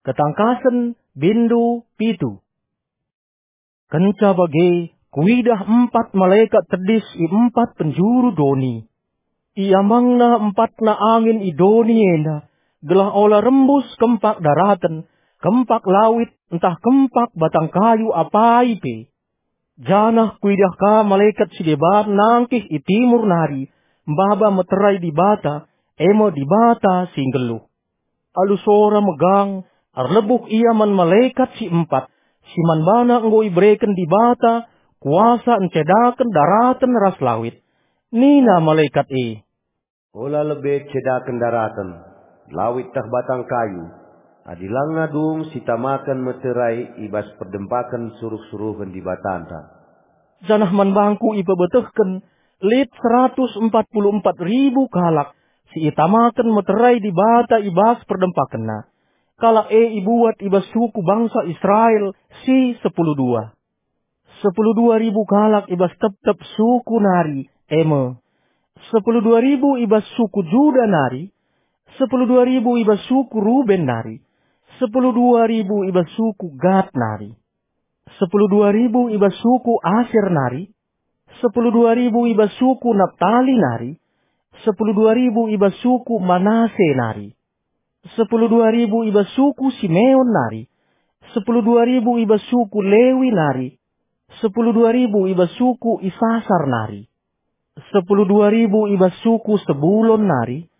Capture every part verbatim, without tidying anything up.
Ketangkasen, bindu pitu. Kenca bage, kuidah empat malekat tedis i empat penjuru doni. Iambangna empatna angin i doni enda, gelah ola rembus kempak daraten, kempak lawit, ntah kempak batang kayu apai pe. Janah kuidah ka malekat si deban nangkih i timur nari, maba meterai Dibata, e me Dibata si nggeluh. Alu sora megang, erlebuh ia man malekat si empat, si man bana enggo ibereken Dibata kuasa ncedaken daraten ras lawit. Nina malekat e, "Ola lebe cedaken daraten, lawit tah batang kayu, adi langa dung sitamaken meterai i bas perdempaken suruh-suruhen Dibatanta." Janah man bangku ipebetehken lit seratus empat puluh empat ribu kalak si itamaken meterai Dibata i bas perdempakenna. Kalak e ibuat i bas suku bangsa Israel si sepuluh dua. Sepuluh dua ribu kalak i bas tep-tep suku nari, e me, sepuluh dua ribu i bas suku Juda nari, sepuluh dua ribu i bas suku Ruben nari, sepuluh dua ribu i bas suku Gad nari, sepuluh dua ribu i bas suku Aser nari, sepuluh dua ribu i bas suku Naptali nari, sepuluh dua ribu i bas suku Manase nari, sepuluh dua ribu i bas suku Simeon nari, sepuluh dua ribu i bas suku Lewi nari, sepuluh dua ribu i bas suku Isasar nari, sepuluh dua ribu i bas suku Sebulon nari,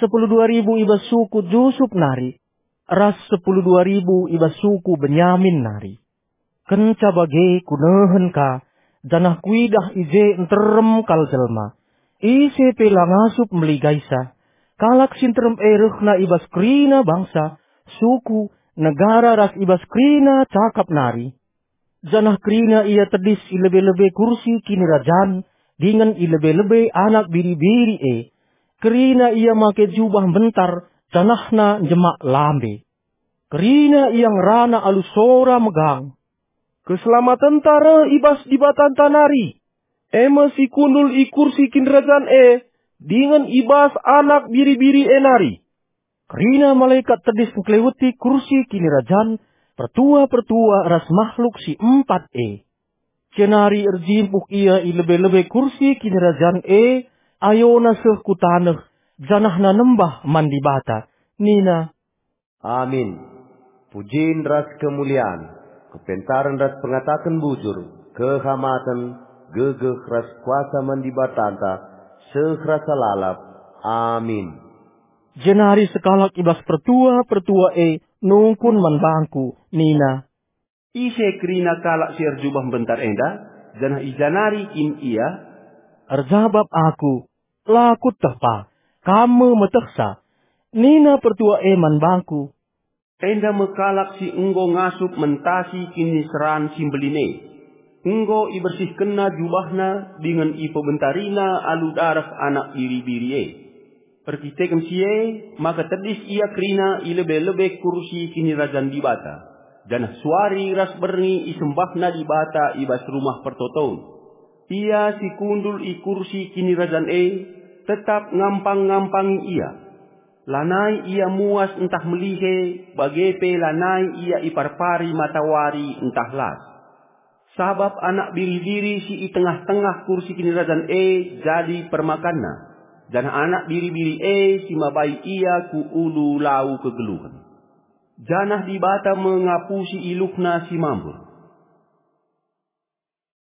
sepuluh dua ribu i bas suku Jusup nari, ras sepuluh dua ribu i bas suku Benyamin nari. Kenca bage kunehen ka, janah kuidah i je nterem kal jelma. Ise pe la ngasup meligaisa. Kalak si nterem e rehna i bas kerina bangsa, suku, negara ras i bas kerina cakap nari. Janah kerina ia tedis i lebe-lebe kursi kinirajan dingen i lebe-lebe Anak Biri-biri e. Kerina ia make jubah mbentar, janahna njemak lambe. Kerina ia ngerana alu sora megang, "Keselamatenta reh i bas Dibatanta nari, e me si kundul i kursi kinirajan e, dingen i bas Anak Biri-biri e nari." Kerina malekat tedis ngkeleweti kursi kinirajan, pertua-pertua ras mahluk si empat e. Jenari erjimpuh ia i lebe-lebe kursi kinirajan e, ayona seh ku taneh, janahna nembah man Dibata, nina, "Amin. Pujin ras kemulian, kepentaren ras pengataken bujur, kehamaten, gegeh ras kuasa man Dibatanta, seh rasa lalap. Amin." Jenari sekalak i bas pertua-pertua e nungkun man bangku, nina, "Ise kerina kalak si erjubah mbentar enda, janah i ja nari kin ia?" Erjabap aku, "La kueteh pa, kam me metehsa." Nina pertua e man bangku, "Enda me kalak si enggo ngasup mentasi kiniseran si mbelin e. Enggo ibersihkenna jubahna dingen ipebentarina alu dareh Anak Biri-biri e. Erkiteken si e, maka tedis ia kerina i lebe-lebe kursi kinirajan Dibata, janah suari ras berngi isembahna Dibata i bas Rumah Pertoton. Ia si kundul i kursi kinirajan e tetap ngampang-ngampangi ia. Lanai ia muas ntah melihe, bage pe lanai ia iparpari matawari ntah las. Sabap Anak Biri-biri si i tengah-tengah kursi kinirajan e jadi permakanna, janah Anak Biri-biri e si mabai ia ku ulu lau kegeluhen. Janah Dibata me ngapusi iluhna si mambur.